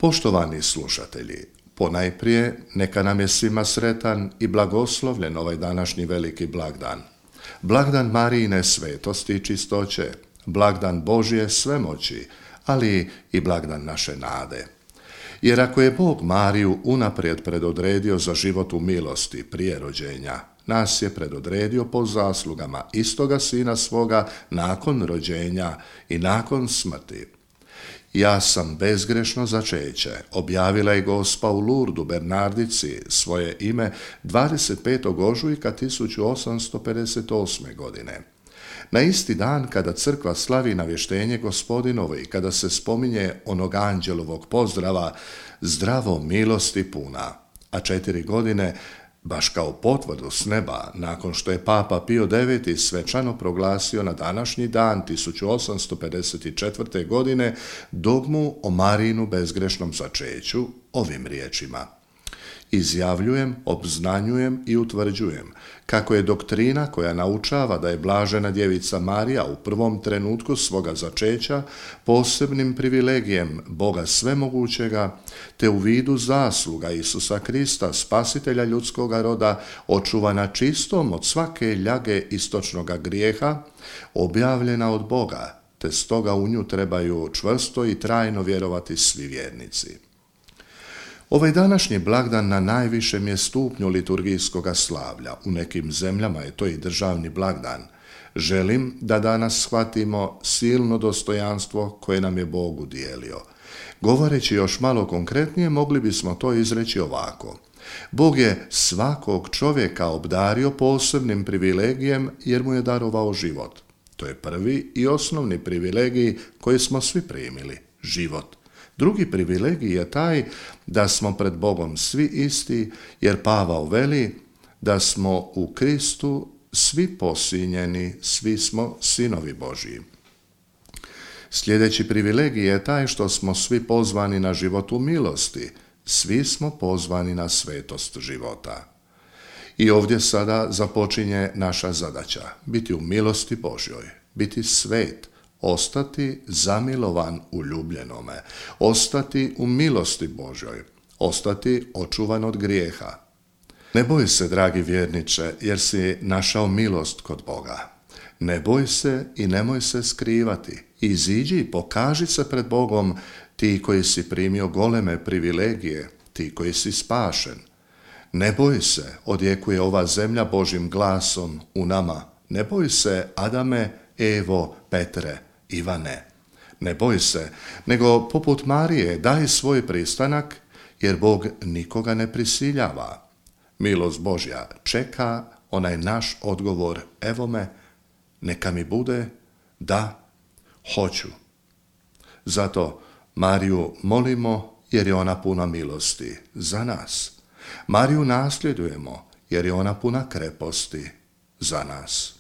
Poštovani slušatelji, ponajprije neka nam je svima sretan i blagoslovljen ovaj današnji veliki blagdan. Blagdan Marijine svetosti i čistoće, blagdan Božje svemoći, ali i blagdan naše nade. Jer ako je Bog Mariju unaprijed predodredio za život u milosti prije rođenja, nas je predodredio po zaslugama istoga Sina svoga nakon rođenja i nakon smrti. Ja sam bezgrešno začeće, objavila je Gospa u Lurdu Bernardici svoje ime 25. ožujka 1858. godine. Na isti dan kada crkva slavi navještenje Gospodinovo i kada se spominje onog anđelovog pozdrava zdravo milosti puna, a 4 godine baš kao potvrdu s neba, nakon što je Papa Pio IX svečano proglasio na današnji dan 1854. godine dogmu o Marijinu bezgrešnom začeću ovim riječima: izjavljujem, obznanjujem i utvrđujem kako je doktrina koja naučava da je blažena djevica Marija u prvom trenutku svoga začeća posebnim privilegijem Boga svemogućega, te u vidu zasluga Isusa Krista, spasitelja ljudskoga roda, očuvana čistom od svake ljage istočnoga grijeha, objavljena od Boga, te stoga u nju trebaju čvrsto i trajno vjerovati svi vjernici. Ovaj današnji blagdan na najvišem je stupnju liturgijskoga slavlja. U nekim zemljama je to i državni blagdan. Želim da danas shvatimo silno dostojanstvo koje nam je Bog udijelio. Govoreći još malo konkretnije, mogli bismo to izreći ovako: Bog je svakog čovjeka obdario posebnim privilegijem jer mu je darovao život. To je prvi i osnovni privilegij koji smo svi primili, život. Drugi privilegij je taj da smo pred Bogom svi isti, jer Pavao veli da smo u Kristu svi posinjeni, svi smo sinovi Božji. Sljedeći privilegij je taj što smo svi pozvani na život u milosti, svi smo pozvani na svetost života. I ovdje sada započinje naša zadaća, biti u milosti Božjoj, biti svet, ostati zamilovan u ljubljenome, ostati u milosti Božjoj, ostati očuvan od grijeha. Ne boj se, dragi vjerniče, jer si našao milost kod Boga. Ne boj se i nemoj se skrivati. Iziđi i pokaži se pred Bogom, ti koji si primio goleme privilegije, ti koji si spašen. Ne boj se, odjekuje ova zemlja Božjim glasom u nama. Ne boj se, Adame, Evo, Petre, Ivane. Ne boj se, nego poput Marije daj svoj pristanak, jer Bog nikoga ne prisiljava. Milost Božja čeka onaj naš odgovor: evo me, neka mi bude da, hoću. Zato Mariju molimo jer je ona puna milosti za nas. Mariju nasljedujemo jer je ona puna kreposti za nas.